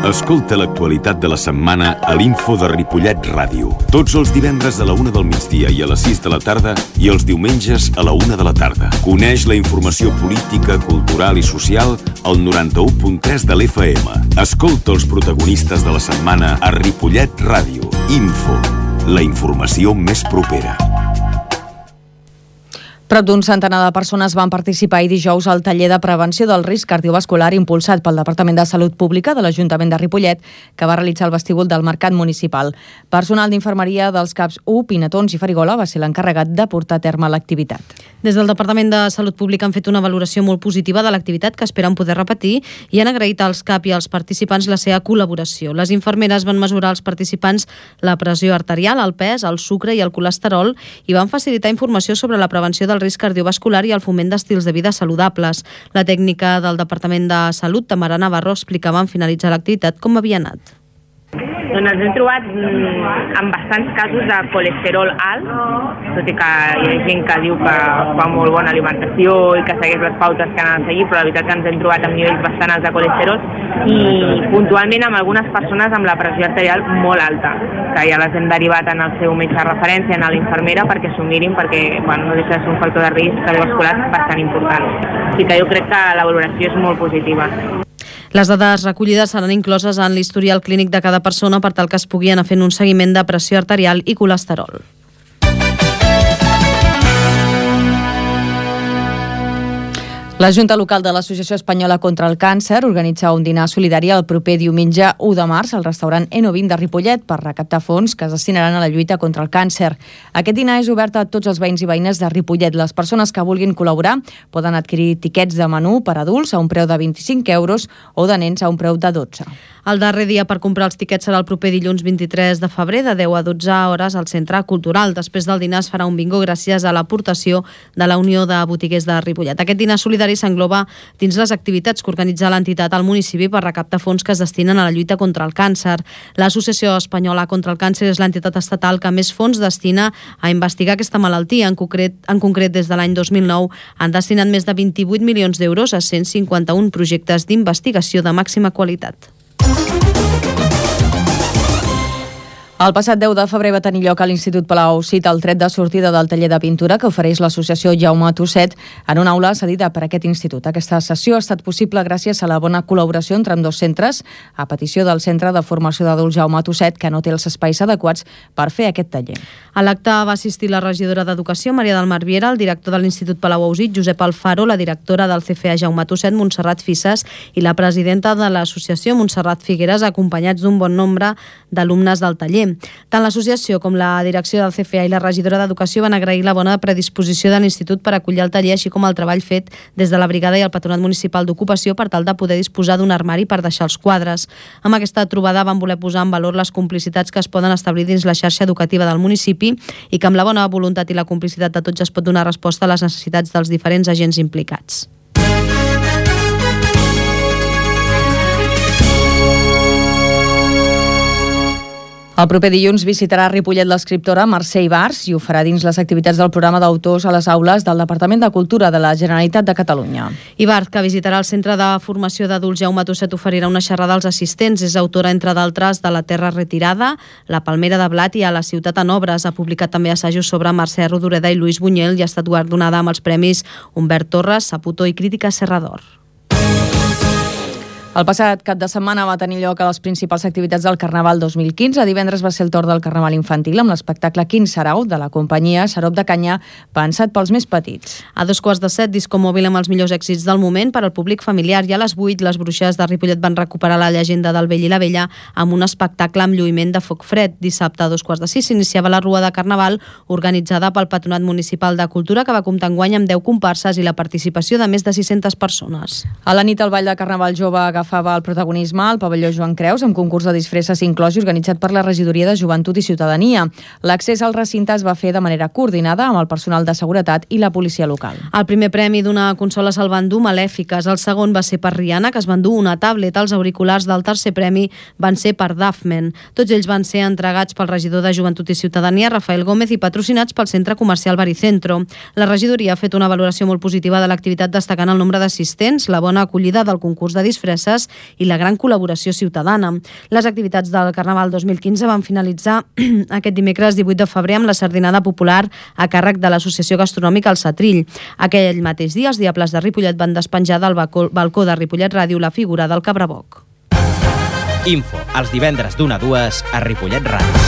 Escolta l'actualitat de la setmana a l'Info de Ripollet Ràdio. Tots els divendres a la una del migdia i a les sis de la tarda i els diumenges a la una de la tarda. Coneix la informació política, cultural i social al noranta-u punt tres de l'F M. Escolta els protagonistes de la setmana a Ripollet Ràdio. Info, la informació més propera. Prop d'un centenar de persones van participar ahir dijous al taller de prevenció del risc cardiovascular impulsat pel Departament de Salut Pública de l'Ajuntament de Ripollet, que va realitzar el vestíbul del Mercat Municipal. Personal d'infermeria dels CAPs u, Pinatons i Farigola va ser l'encarregat de portar a terme l'activitat. Des del Departament de Salut Pública han fet una valoració molt positiva de l'activitat que esperen poder repetir i han agraït als CAP i als participants la seva col·laboració. Les infermeres van mesurar als participants la pressió arterial, el pes, el sucre i el colesterol i van facilitar informació sobre la prevenció del risc cardiovascular i el foment d'estils de vida saludables. La tècnica del Departament de Salut, Tamara Navarro, explicava en finalitzar l'activitat com havia anat. Doncs ens hem trobat amb bastants casos de colesterol alt, tot i que hi ha gent que diu que fa molt bona alimentació i que segueix les pautes que han de seguir, però la veritat que ens hem trobat amb nivells bastant alts de colesterol i puntualment amb algunes persones amb la pressió arterial molt alta, que ja les hem derivat en el seu metge de referència, en l'infermera, perquè s'ho mirin, perquè bueno, no deixa de ser un factor de risc cardiovascular bastant important. Així que jo crec que la valoració és molt positiva. Les dades recollides seran incloses en l'historial clínic de cada persona per tal que es pugui anar fent un seguiment de pressió arterial i colesterol. La Junta Local de l'Associació Espanyola contra el Càncer organitza un dinar solidari el proper diumenge u de març al restaurant Eno vint de Ripollet per recaptar fons que es destinaran a la lluita contra el càncer. Aquest dinar és obert a tots els veïns i veïnes de Ripollet. Les persones que vulguin col·laborar poden adquirir tiquets de menú per adults a un preu de vint-i-cinc euros o de nens a un preu de dotze. El darrer dia per comprar els tiquets serà el proper dilluns vint-i-tres de febrer de deu a dotze hores al Centre Cultural. Després del dinar es farà un bingo gràcies a l'aportació de la Unió de Botiguers de Ripollet. Aquest dinar solidari s'engloba dins les activitats que organitza l'entitat al municipi per recaptar fons que es destinen a la lluita contra el càncer. L'Associació Espanyola contra el Càncer és l'entitat estatal que més fons destina a investigar aquesta malaltia. En concret, en concret des de l'any dos mil nou han destinat més de vint-i-vuit milions d'euros a cent cinquanta-un projectes d'investigació de màxima qualitat. El passat deu de febrer va tenir lloc a l'Institut Palau Cita el tret de sortida del taller de pintura que ofereix l'associació Jaume Tusset en una aula cedida per aquest institut. Aquesta sessió ha estat possible gràcies a la bona col·laboració entre ambdós centres, a petició del Centre de Formació d'Adults Jaume Tusset, que no té els espais adequats per fer aquest taller. A l'acte va assistir la regidora d'Educació, Maria del Mar Viera, el director de l'Institut Palau Ausit, Josep Alfaro, la directora del C F A Jaume Tusset, Montserrat Fisses, i la presidenta de l'associació, Montserrat Figueres, acompanyats d'un bon nombre d'alumnes del taller. Tant l'associació com la direcció del C F A i la regidora d'Educació van agrair la bona predisposició de l'Institut per acollir el taller, així com el treball fet des de la brigada i el Patronat Municipal d'Ocupació per tal de poder disposar d'un armari per deixar els quadres. Amb aquesta trobada van voler posar en valor les complicitats que es poden establir dins la xarxa educativa del municipi i que amb la bona voluntat i la complicitat de tots es pot donar resposta a les necessitats dels diferents agents implicats. El proper dilluns visitarà a Ripollet l'escriptora Mercè Ibars i ho farà dins les activitats del programa d'autors a les aules del Departament de Cultura de la Generalitat de Catalunya. Ibars, que visitarà el Centre de Formació d'Adults Jaume Tusset, oferirà una xerrada als assistents. És autora, entre d'altres, de La Terra Retirada, La Palmera de Blat i A la Ciutat en Obres. Ha publicat també assajos sobre Mercè Rodoreda i Lluís Buñuel i ha estat guardonada amb els premis Humbert Torres, Saputó i Crítica Serrador. El passat cap de setmana va tenir lloc a les principals activitats del Carnaval dos mil quinze. Divendres va ser el torn del Carnaval infantil amb l'espectacle Quin Sarau de la companyia Sarop de Canyà, pensat pels més petits. A dos quarts de set, disco mòbil amb els millors èxits del moment per al públic familiar, i a les vuit les bruixes de Ripollet van recuperar la llegenda del vell i la vella amb un espectacle amb lluïment de foc fred. Dissabte a dos quarts de sis s'iniciava la Rua de Carnaval organitzada pel Patronat Municipal de Cultura, que va comptar enguany amb deu comparses i la participació de més de sis-centes persones. A la nit el Ball de Carnaval Jove agafava el protagonisme al pavelló Joan Creus amb concurs de disfresses inclòs i organitzat per la Regidoria de Joventut i Ciutadania. L'accés al recinte es va fer de manera coordinada amb el personal de seguretat i la policia local. El primer premi d'una consola se'l van dur Malèfiques, el segon va ser per Rihanna, que es van dur una tablet. Els auriculars del tercer premi van ser per Dafmen. Tots ells van ser entregats pel regidor de Joventut i Ciutadania, Rafael Gómez, i patrocinats pel centre comercial Baricentro. La regidoria ha fet una valoració molt positiva de l'activitat, destacant el nombre d'assistents, la bona acollida del concurs de disfresses i la gran col·laboració ciutadana. Les activitats del Carnaval dos mil quinze van finalitzar aquest dimecres divuit de febrer amb la sardinada popular a càrrec de l'Associació Gastronòmica El Setrill. Aquell mateix dia, els Diables de Ripollet van despenjar del balcó de Ripollet Ràdio la figura del Cabraboc. Info, els divendres d'una a dues a Ripollet Ràdio.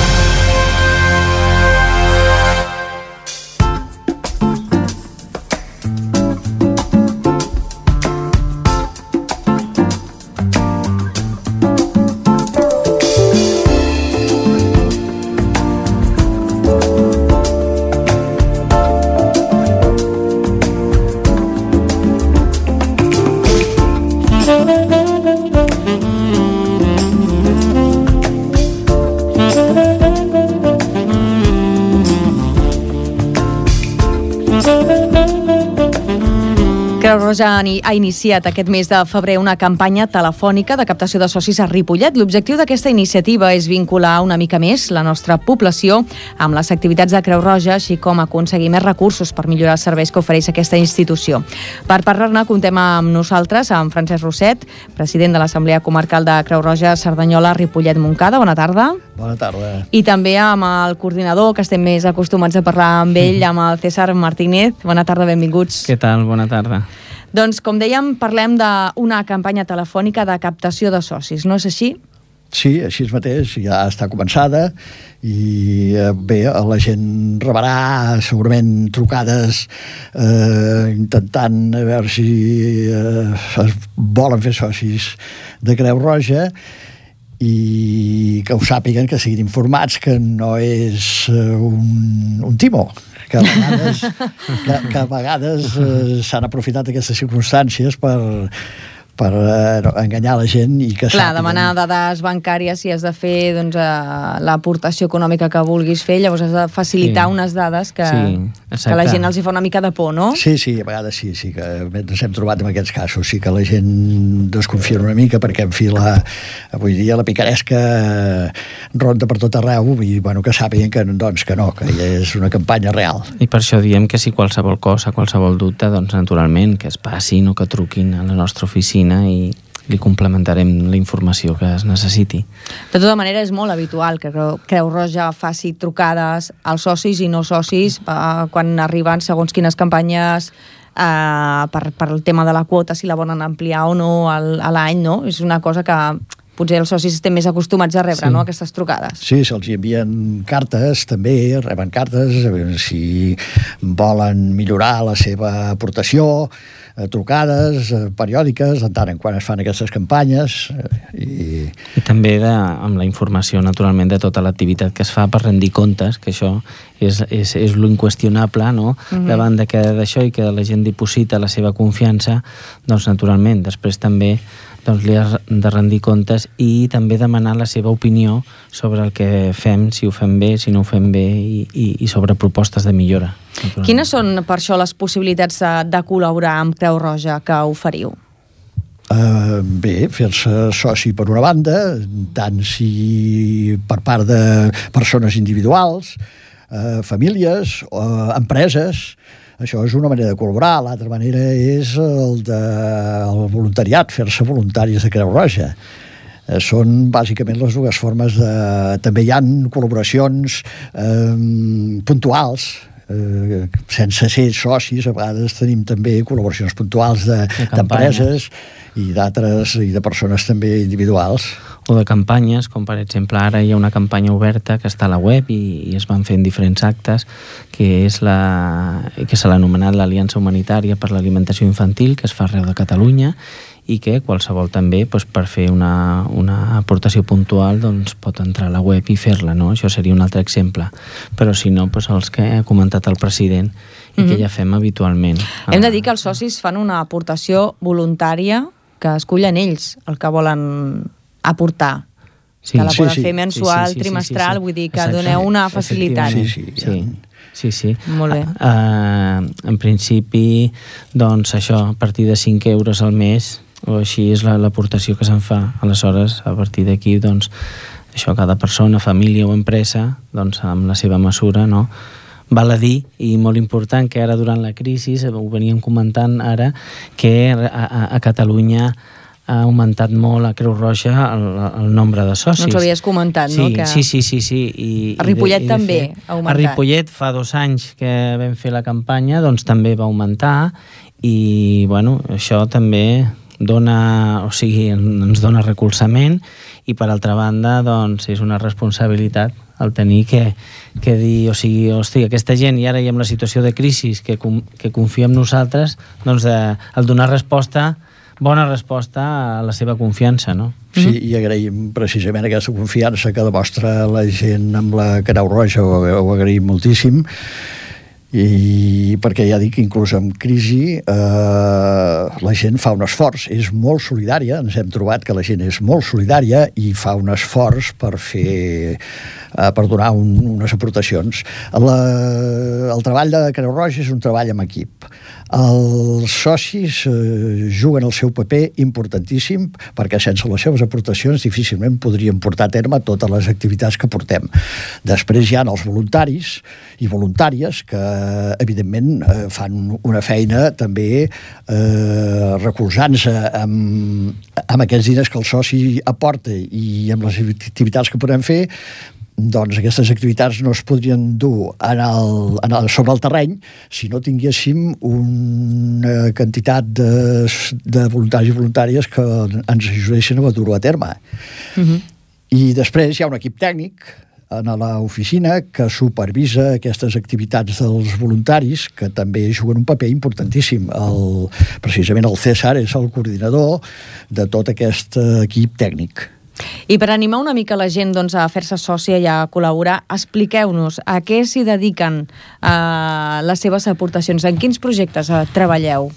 Creu Roja ha iniciat aquest mes de febrer una campanya telefònica de captació de socis a Ripollet. L'objectiu d'aquesta iniciativa és vincular una mica més la nostra població amb les activitats de Creu Roja, així com aconseguir més recursos per millorar els serveis que ofereix aquesta institució. Per parlar-ne, comptem amb nosaltres, amb Francesc Rosset, president de l'Assemblea Comarcal de Creu Roja Cerdanyola Ripollet Montcada. Bona tarda. Bona tarda. I també amb el coordinador, que estem més acostumats a parlar amb ell, amb el César Martínez. Bona tarda, benvinguts. Què tal? Bona tarda. Doncs, com dèiem, parlem d'una campanya telefònica de captació de socis, no és així? Sí, així mateix, ja està començada i bé, la gent rebrà segurament trucades eh, intentant a veure si eh, es volen fer socis de Creu Roja i que ho sàpiguen, que siguin informats que no és un, un timó, que a vegades, que, que a vegades eh, s'han aprofitat aquestes circumstàncies per per eh, enganyar la gent i que Clar, sàpiguen. demanar dades bancàries si has de fer doncs, eh, l'aportació econòmica que vulguis fer, llavors has de facilitar sí. unes dades que, sí, que la gent els hi fa una mica de por, no? Sí, sí, a vegades sí, sí que ens hem trobat en aquests casos, sí que la gent desconfia una mica perquè en fi la, avui dia la picaresca ronda per tot arreu i bueno, que sàpiguen que, doncs, que no, que és una campanya real. I per això diem que si qualsevol cosa, qualsevol dubte, doncs naturalment que es passin o que truquin a la nostra oficina i li complementarem la informació que es necessiti. De tota manera, és molt habitual que Creu Roja faci trucades als socis i no socis eh, quan arriben segons quines campanyes eh, per, per el tema de la quota, si la volen ampliar o no al, a l'any, no? És una cosa que potser els socis estem més acostumats a rebre, sí. no?, aquestes trucades. Sí, se'ls envien cartes, també, reben cartes, si volen millorar la seva aportació, trucades periòdiques, en tant en quan es fan aquestes campanyes. I, I també de, amb la informació, naturalment, de tota l'activitat que es fa per rendir comptes, que això és, és, és l'inqüestionable, no?, mm-hmm. davant de que d'això i que la gent diposita la seva confiança, doncs, naturalment, després també doncs li has de rendir comptes i també demanar la seva opinió sobre el que fem, si ho fem bé, si no ho fem bé i, i, i sobre propostes de millora. Quines són, per això, les possibilitats de, de col·laborar amb Creu Roja que oferiu? Uh, bé, fer-se soci per una banda, tant si per part de persones individuals, uh, famílies, uh, empreses. Això és una manera de col·laborar. L'altra manera és el, de, el voluntariat, fer-se voluntaris de Creu Roja. Eh, són bàsicament les dues formes de... També hi ha col·laboracions eh, puntuals, eh, sense ser socis. A vegades tenim també col·laboracions puntuals de, d'empreses i d'altres, i de persones també individuals. O de campanyes, com per exemple ara hi ha una campanya oberta que està a la web i, i es van fent diferents actes, que és la que se l'ha anomenat l'Aliança Humanitària per l'Alimentació Infantil, que es fa arreu de Catalunya i que qualsevol també, doncs, per fer una, una aportació puntual, doncs, pot entrar a la web i fer-la, no? Això seria un altre exemple. Però si no, doncs, els que ha comentat el president i mm-hmm. que ja fem habitualment. Hem de dir que els socis fan una aportació voluntària que escullen ells, el que volen aportar. Sí, que la poden sí, sí. fer mensual, sí, sí, sí, trimestral, sí, sí, sí. Vull dir que exacte. Doneu una facilitat. Sí, sí, sí. Sí, sí. Molt bé. Uh, en principi, doncs això, a partir de cinc euros al mes, o així és l'aportació que se'n fa. Aleshores, a partir d'aquí, doncs, això, cada persona, família o empresa, doncs, amb la seva mesura, no?, val a dir, i molt important, que ara durant la crisi, ho veníem comentant ara, que a, a, a Catalunya ha augmentat molt a Creu Roja el, el nombre de socis. No ens ho havies comentat, sí, no? Que... Sí, sí, sí. sí. I, a Ripollet i de, i també fet, ha augmentat. A Ripollet fa dos anys que vam fer la campanya, doncs també va augmentar i, bueno, això també dona, o sigui, ens dona recolzament i, per altra banda, doncs és una responsabilitat el tenir que, que dir, o sigui, hosti, aquesta gent, i ara hi ha la situació de crisi, que, que confia en nosaltres, doncs de, el donar resposta, bona resposta a la seva confiança, no? Sí, i agraïm precisament aquesta confiança que demostra la gent amb la Creu Roja, ho, ho agraïm moltíssim, i perquè ja dic, inclús en crisi eh, la gent fa un esforç, és molt solidària, ens hem trobat que la gent és molt solidària i fa un esforç per fer eh, per donar un, unes aportacions. La, el treball de Creu Roja és un treball en equip. Els socis eh, juguen el seu paper importantíssim perquè sense les seves aportacions difícilment podríem portar a terme totes les activitats que portem. Després hi ha els voluntaris i voluntàries que evidentment eh, fan una feina també eh, recolzant-se amb, amb aquests diners que el soci aporta i amb les activitats que podem fer. Doncs aquestes activitats no es podrien dur en el, en el, sobre el terreny si no tinguéssim un una quantitat de, de voluntaris i voluntàries que ens ajudessin a dur-ho a terme. Uh-huh. I després hi ha un equip tècnic a l'oficina que supervisa aquestes activitats dels voluntaris, que també juguen un paper importantíssim. El, precisament el César és el coordinador de tot aquest equip tècnic. I per animar una mica la gent doncs, a fer-se sòcia i a col·laborar, expliqueu-nos a què s'hi dediquen eh, les seves aportacions, en quins projectes eh, treballeu?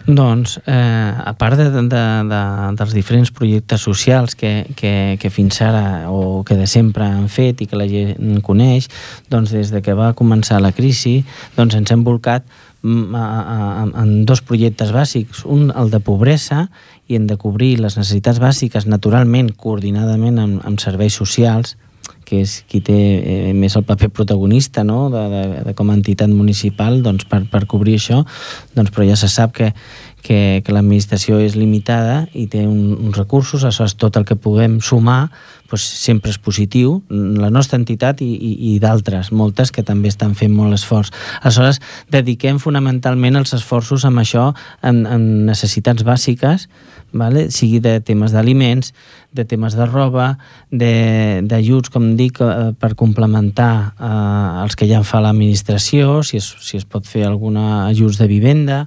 Doncs, eh, a part de, de, de, dels diferents projectes socials que, que, que fins ara o que de sempre han fet i que la gent coneix, doncs des de que va començar la crisi doncs ens hem volcat a, a, en dos projectes bàsics, un el de pobresa i en de cobrir les necessitats bàsiques naturalment, coordinadament amb, amb serveis socials, que és qui té eh, més el paper protagonista, no? de, de, de com a entitat municipal doncs, per, per cobrir això, doncs, però ja se sap que, que, que l'administració és limitada i té un, uns recursos, aleshores tot el que puguem sumar doncs, sempre és positiu, la nostra entitat i, i, i d'altres, moltes que també estan fent molt esforç. Aleshores, dediquem fonamentalment els esforços amb això, en, en necessitats bàsiques, vale? Sigui de temes d'aliments, de temes de roba, d'ajuts, com dic, per complementar eh, els que ja fa l'administració, si es, si es pot fer alguna ajuts de vivenda,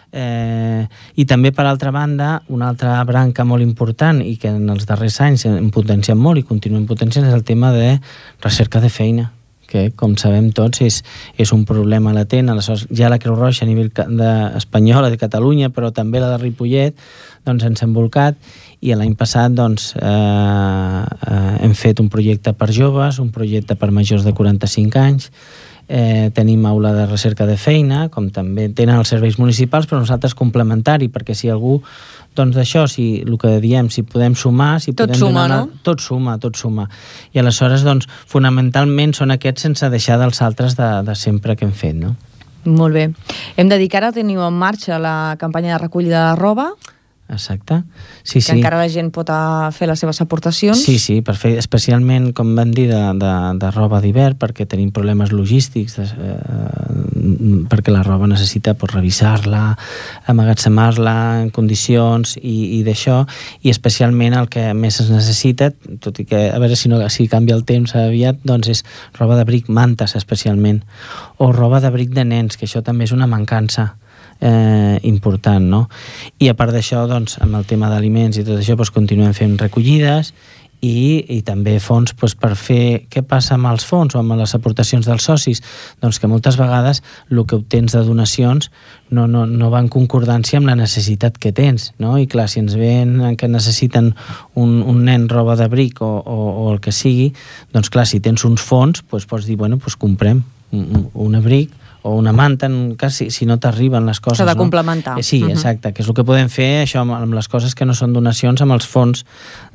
eh, i també, per altra banda, una altra branca molt important i que en els darrers anys hem potenciat molt i continuem potenciant és el tema de recerca de feina, que, com sabem tots, és, és un problema latent. Aleshores, ja la Creu Roja a nivell de, espanyola, de Catalunya, però també la de Ripollet, doncs ens hem volcat i l'any passat doncs, eh, eh, hem fet un projecte per joves, un projecte per majors de quaranta-cinc anys, eh, tenim aula de recerca de feina, com també tenen els serveis municipals, però nosaltres complementari, perquè si algú doncs d'això, si el que diem, si podem sumar, si tot podem suma, donar, no? Tot suma, tot suma. I aleshores, doncs, fonamentalment són aquests sense deixar dels altres de, de sempre que hem fet, no? Molt bé. Hem de dir que ara teniu en marxa la campanya de recollida de roba. Exacte. Sí, que sí. encara la gent pot fer les seves aportacions. Sí, sí, per fer, especialment, com vam dir, de, de, de roba d'hivern, perquè tenim problemes logístics, de, eh, perquè la roba necessita pues, revisar-la, amagatzemar-la en condicions i, i d'això, i especialment el que més es necessita, tot i que, a veure si, no, si canvia el temps aviat, doncs és roba d'abric, mantes especialment, o roba d'abric de nens, que això també és una mancança Eh, important, no? I a part d'això, doncs, amb el tema d'aliments i tot això, doncs, continuem fent recollides i, i també fons doncs, per fer què passa amb els fons o amb les aportacions dels socis, doncs que moltes vegades el que obtens de donacions no, no, no va en concordància amb la necessitat que tens, no? I clar, si ens ven que necessiten un, un nen roba d'abric o, o, o el que sigui, doncs clar, si tens uns fons, doncs pots dir, bueno, doncs comprem un, un abric o una manta, quasi, si no t'arriben les coses. S'ha de no? complementar. Eh, sí, uh-huh. Exacte, que és el que podem fer això amb, amb les coses que no són donacions, amb els fons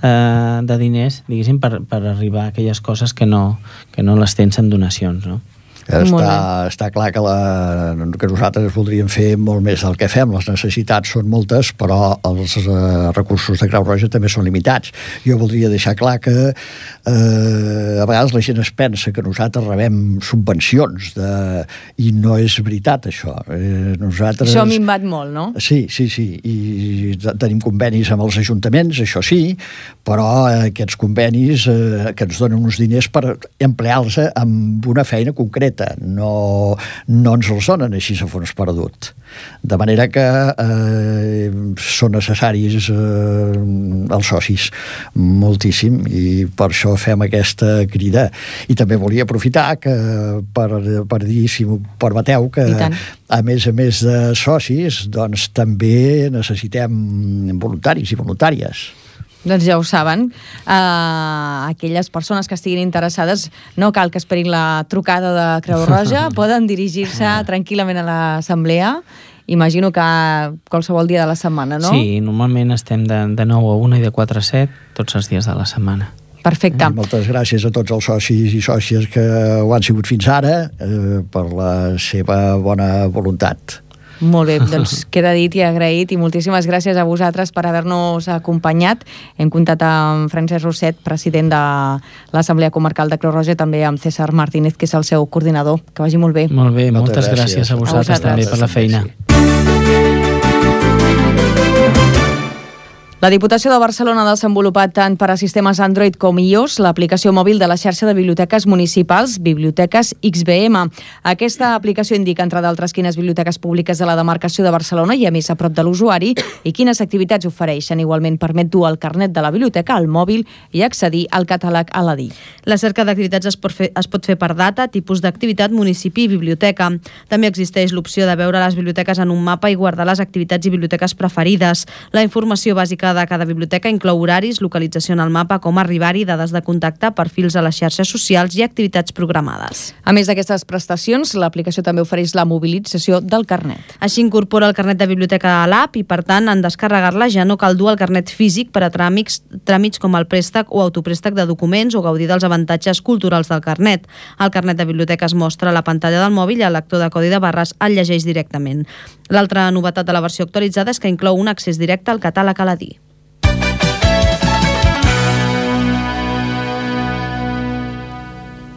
eh, de diners, diguéssim, per, per arribar a aquelles coses que no, que no les tens en donacions, no? Està, està clar que, la, que nosaltres voldríem fer molt més del que fem. Les necessitats són moltes, però els eh, recursos de Creu Roja també són limitats. Jo voldria deixar clar que eh, a vegades la gent es pensa que nosaltres rebem subvencions de, i no és veritat això. Eh, nosaltres... Això ha minvat molt, no? Sí, sí, sí. I tenim convenis amb els ajuntaments, això sí, però aquests convenis eh, que ens donen uns diners per emplear-los amb una feina concreta. No, no ens els donen així a fons perdut. De manera que eh, són necessaris eh, els socis moltíssim i per això fem aquesta crida. I també volia aprofitar que, per, per dir, si m'ho permeteu, que a més a més de socis, doncs també necessitem voluntaris i voluntàries. Doncs ja ho saben. Uh, aquelles persones que estiguin interessades no cal que esperin la trucada de Creu Roja, poden dirigir-se tranquil·lament a l'assemblea. Imagino que qualsevol dia de la setmana, no? Sí, normalment estem de, de nou a una i de quatre a set tots els dies de la setmana. Perfecte. I moltes gràcies a tots els socis i sòcies que ho han sigut fins ara eh, per la seva bona voluntat. Molt bé, doncs queda dit i agraït i moltíssimes gràcies a vosaltres per haver-nos acompanyat. Hem comptat amb Francesc Rosset, president de l'Assemblea Comarcal de Creu Roja, i també amb César Martínez, que és el seu coordinador. Que vagi molt bé. Molt bé, moltes, moltes gràcies. gràcies a vosaltres, a vosaltres també per la feina. La Diputació de Barcelona ha desenvolupat tant per a sistemes Android com iOS l'aplicació mòbil de la xarxa de biblioteques municipals Biblioteques X B M. Aquesta aplicació indica, entre d'altres, quines biblioteques públiques de la demarcació de Barcelona hi ha més a prop de l'usuari i quines activitats ofereixen. Igualment permet dur el carnet de la biblioteca al mòbil i accedir al catàleg a l'A D I. La cerca d'activitats es pot fer, es pot fer per data, tipus d'activitat, municipi i biblioteca. També existeix l'opció de veure les biblioteques en un mapa i guardar les activitats i biblioteques preferides. La informació bàsica de cada biblioteca inclou horaris, localització en el mapa, com arribar-hi, dades de contacte, perfils a les xarxes socials i activitats programades. A més d'aquestes prestacions, l'aplicació també ofereix la mobilització del carnet. Així incorpora el carnet de biblioteca a l'app i, per tant, en descarregar-la ja no cal dur el carnet físic per a tràmits, tràmits com el préstec o autopréstec de documents o gaudir dels avantatges culturals del carnet. El carnet de biblioteca es mostra a la pantalla del mòbil i el lector de codi de barres el llegeix directament. L'altra novetat de la versió actualitzada és que inclou un accés directe al catàleg a l'A D I.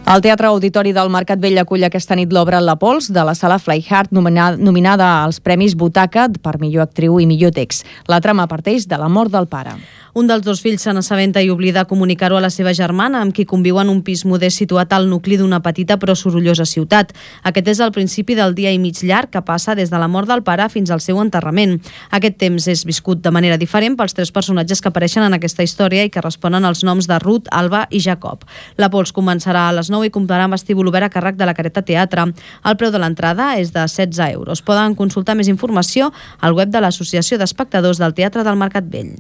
El Teatre Auditori del Mercat Vell acull aquesta nit l'obra La Pols de la sala Flyhard, nominada, nominada als Premis Butaca per millor actriu i millor text. La trama parteix de la mort del pare. Un dels dos fills se n'assabenta i oblida comunicar-ho a la seva germana, amb qui conviu en un pis modest situat al nucli d'una petita però sorollosa ciutat. Aquest és el principi del dia i mig llarg que passa des de la mort del pare fins al seu enterrament. Aquest temps és viscut de manera diferent pels tres personatges que apareixen en aquesta història i que responen als noms de Ruth, Alba i Jacob. La Pols començarà a les nou i comptarà amb vestíbul obert a càrrec de la Careta Teatre. El preu de l'entrada és de setze euros. Poden consultar més informació al web de l'Associació d'Espectadors del Teatre del Mercat Vell.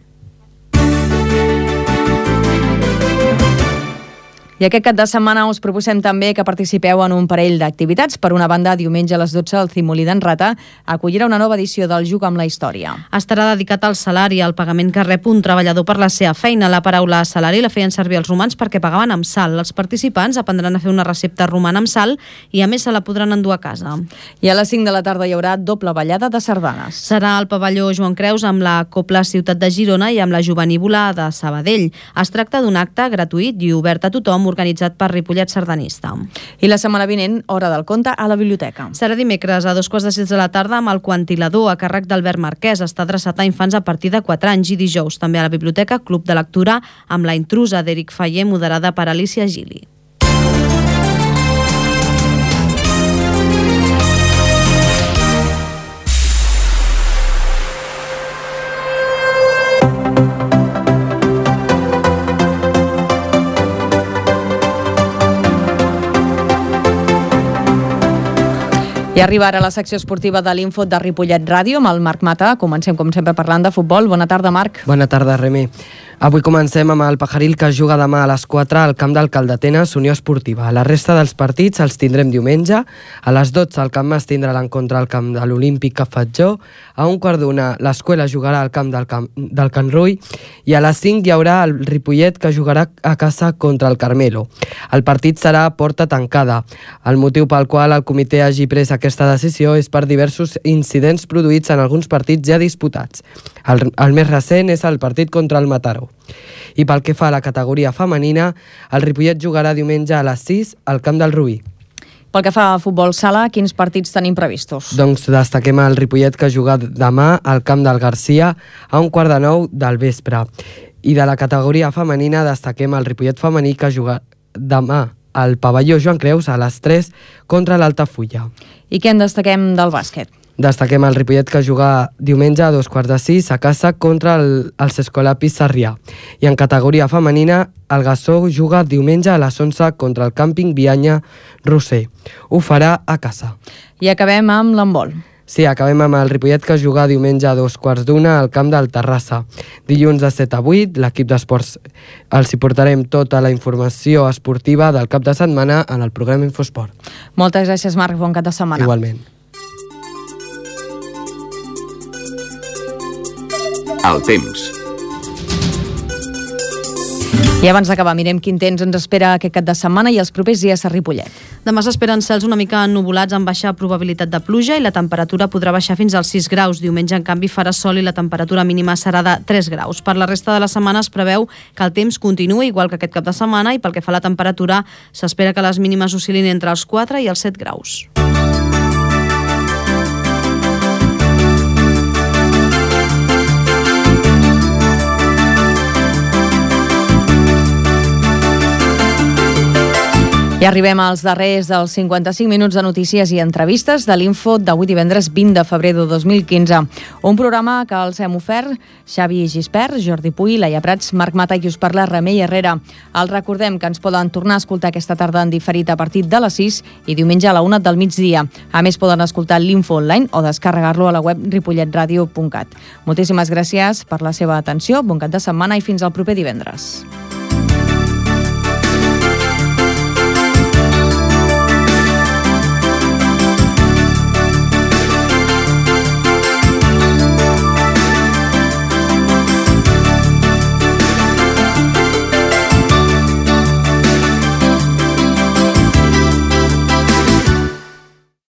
I aquest cap de setmana us proposem també que participeu en un parell d'activitats. Per una banda, diumenge a les dotze al Cimolí d'en Rata acollirà una nova edició del Juc amb la Història. Estarà dedicat al salari, al pagament que rep un treballador per la seva feina. La paraula salari la feien servir els romans perquè pagaven amb sal. Els participants aprendran a fer una recepta romana amb sal i a més se la podran endur a casa. I a les cinc de la tarda hi haurà doble ballada de sardanes. Serà al pavelló Joan Creus amb la Copla Ciutat de Girona i amb la Jovenívola de Sabadell. Es tracta d'un acte gratuït i obert a tothom, organitzat per Ripollet Sardanista. I la setmana vinent, hora del conte a la biblioteca. Serà dimecres a dos quarts de sis de la tarda amb el Quantilador a càrrec d'Albert Marquès. Està adreçat a infants a partir de quatre anys i dijous també a la biblioteca Club de Lectura amb La intrusa d'Eric Faller, moderada per Alicia Gili. I arriba ara la secció esportiva de l'Info de Ripollet Ràdio amb el Marc Mata. Comencem, com sempre, parlant de futbol. Bona tarda, Marc. Bona tarda, Remi. Avui comencem amb el Pajaril, que juga demà a les quatre al camp del Calldetenes, Unió Esportiva. La resta dels partits els tindrem diumenge. A les dotze el Camp Mas tindrà l'encontre al camp de l'Olímpic Cafatjó. A un quart d'una l'Escuela jugarà al camp del, camp del Can Rull. I a les cinc hi haurà el Ripollet, que jugarà a casa contra el Carmelo. El partit serà a porta tancada. El motiu pel qual el comitè hagi pres aquesta decisió és per diversos incidents produïts en alguns partits ja disputats. El, el més recent és el partit contra el Mataró. I pel que fa a la categoria femenina, el Ripollet jugarà diumenge a les sis al camp del Rubí. Pel que fa a futbol sala, quins partits tenim previstos? Doncs destaquem el Ripollet, que juga demà al camp del Garcia a un quart de nou del vespre. I de la categoria femenina destaquem el Ripollet femení, que juga demà al pavelló Joan Creus a les tres contra l'Altafulla. I què en destaquem del bàsquet? Destaquem el Ripollet, que juga diumenge a dos quarts de sis a casa contra el, els Escolapis Sarrià. I en categoria femenina, el Gassó juga diumenge a les onze contra el Càmping Bianya Roser. Ho farà a casa. I acabem amb l'handbol. Sí, acabem amb el Ripollet, que juga diumenge a dos quarts d'una al camp del Terrassa. Dilluns de set a vuit, l'equip d'esports els hi portarem tota la informació esportiva del cap de setmana en el programa Infosport. Moltes gràcies, Marc. Bon cap de setmana. Igualment. El temps. I abans d'acabar, mirem quin temps ens espera aquest cap de setmana i els propers dies a Ripollet. Demà s'esperen cels una mica ennubulats amb baixa probabilitat de pluja i la temperatura podrà baixar fins als sis graus. Diumenge, en canvi, farà sol i la temperatura mínima serà de tres graus. Per la resta de la setmana es preveu que el temps continuï igual que aquest cap de setmana i pel que fa a la temperatura s'espera que les mínimes oscil·lin entre els quatre i els set graus. I arribem als darrers dels cinquanta-cinc minuts de notícies i entrevistes de l'Info d'avui divendres vint de febrer de dos mil quinze. Un programa que els hem ofert Xavi Gispert, Jordi Puy, Laia Prats, Marc Mata i us parla Remei Herrera. Els recordem que ens poden tornar a escoltar aquesta tarda en diferit a partir de les sis i diumenge a la una del migdia. A més, poden escoltar l'Info online o descarregar-lo a la web ripollet ràdio punt cat. Moltíssimes gràcies per la seva atenció, bon cap de setmana i fins al proper divendres.